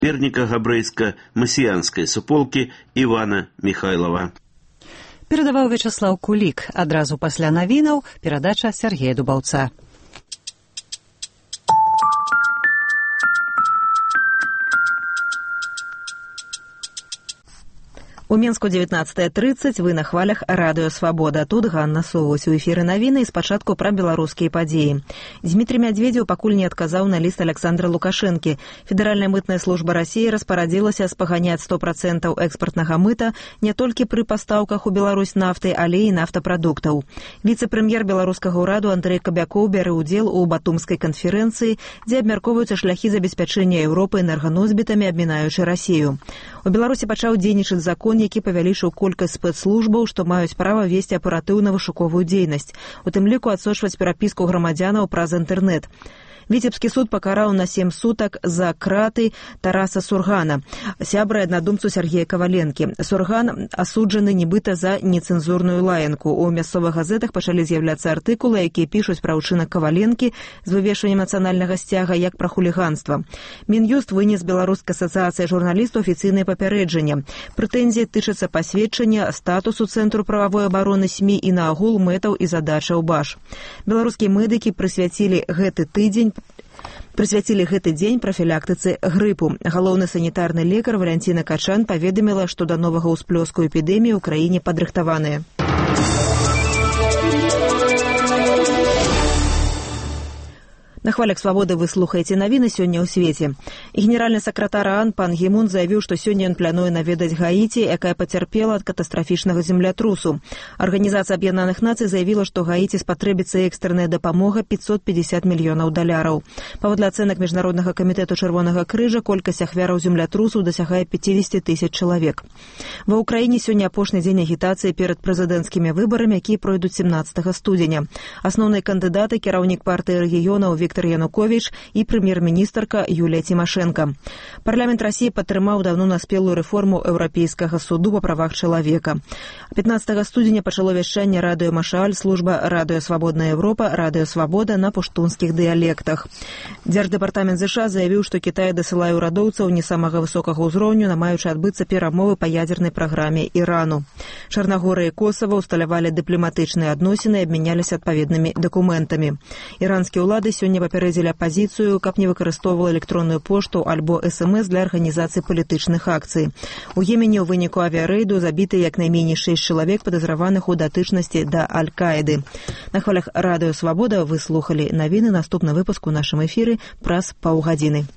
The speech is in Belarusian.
перніка габрэйска-масіянскай суполкі Івана Міхайлава. Перадаваў Вячаслаў Кулік. Адразу пасля навінаў перадача Сергея Дубаўца. У Мінску 19:30, вы на хвалях Радыё Свабода. Тут Ганна Совось. У эфіры навіны і спачатку пра беларускія падзеі. Дмітрий Медведзеў пакуль не адказаў на ліст Александра Лукашэнкі. Федэральная мытная служба Расіі распарадзілася спаганяць 100% экспартнага мыта не толькі пры пастаўках у Беларусь нафты, але і нафтапрадуктаў. Віцэ-прэм'ер беларускага ўраду Андрэй Кабякоў бярэ ўдзел у Батумскай канферэнцыі, дзе абмяркоўваюцца шляхі забеспячэння Еўропы энерганосьбітамі, абмінаючы Расію. У Беларусі пачаў дзейнічаць закон, які павялічыў колькасць спецслужбаў, што маюць права весці аператыўна-вышуковую дзейнасць, у тым ліку адсочваць перапіску грамадзянаў праз інтэрнэт. Віцебскі суд пакараў на 7 сутак за краты Тараса Сургана, сябра і аднадумцу Сергея Каваленкі. Сурган асуджаны нібыта за нецэнзурную лаянку. У мясцовых газетах пачалі з'яўляцца артыкулы, якія пішуць пра ўчынак Каваленкі з вывешваннем нацыянальнага сцяга як пра хуліганства. Мін'юст вынес Беларускай асацыяцыі журналістаў афіцыйнае папярэджанне. Прэтэнзіі тычацца пасведчання статусу Цэнтру прававой абароны СМІ і наагул мэтаў і задачаў БАЖ. Беларускія медыкі прысвяцілі гэты дзень прафілактыцы грыпу. Галоўны санітарны лекар Валянціна Качан паведаміла, што да новага ўсплёску эпідэміі ў краіне падрыхтаваныя. На хвалях Свабоды вы слухаеце навіны сёння ў свеце. Генеральны сакратар ААН пан Гі Мун заявіў, што сёння ён плануе наведаць Гаіці, якая пацярпела ад катастрафічнага землятрусу. Арганізацыя Аб'яднаных Нацый заявіла, што Гаіці спатрэбіцца экстранная дапамога $550 мільёнаў. Паводле ацэнак Міжнароднага камітэту Чырвонага крыжа, колькасць ахвяраў землятрусу дасягае 50 000 чалавек. Ва ўкраіне сёння апошні дзень агітацыі перад прэзідэнцкімі выбарамі, якія пройдуць 17 студзеня. Асноўныя кандыдаты — кіраўнік партыі рэгіёнаў Віктор Януковіч і прэм'ер-міністрка Юлія Цімашэнка. Парламент Расіі падтрымаў даўно наспелую рэформу Еўрапейскага суду па правах чалавека. 15 студзеня пачало вяшчанне радыё Машааль, служба радыё Свабодная Еўропа, радыё Свабода на пуштунскіх дыялектах. Дзярждэпартамент ЗША заявіў, што Кітай дасылае ўрадоўцаў не самага высокага ўзроўню, намаючы адбыцца перамовы па ядзернай праграме Ірану. Чарнагорыя і Косава ўсталявалі дыпламатычныя адносіны і абмяняліся адпаведнымі дакументамі. Іранскія ўлады сёння папярэдзілі апазіцыю, каб не выкарыстоўвала электронную пошту альбо СМС для арганізацыі палітычных акцый. У Йемене ў выніку авіярэйду забіты як найменей 6 чалавек, падазраваных у датычнасці да Аль-Каіды. На хвалях Радыё Свабода вы слухалі навіны. Наступны выпуск у нашым эфіры праз паўгадзіны.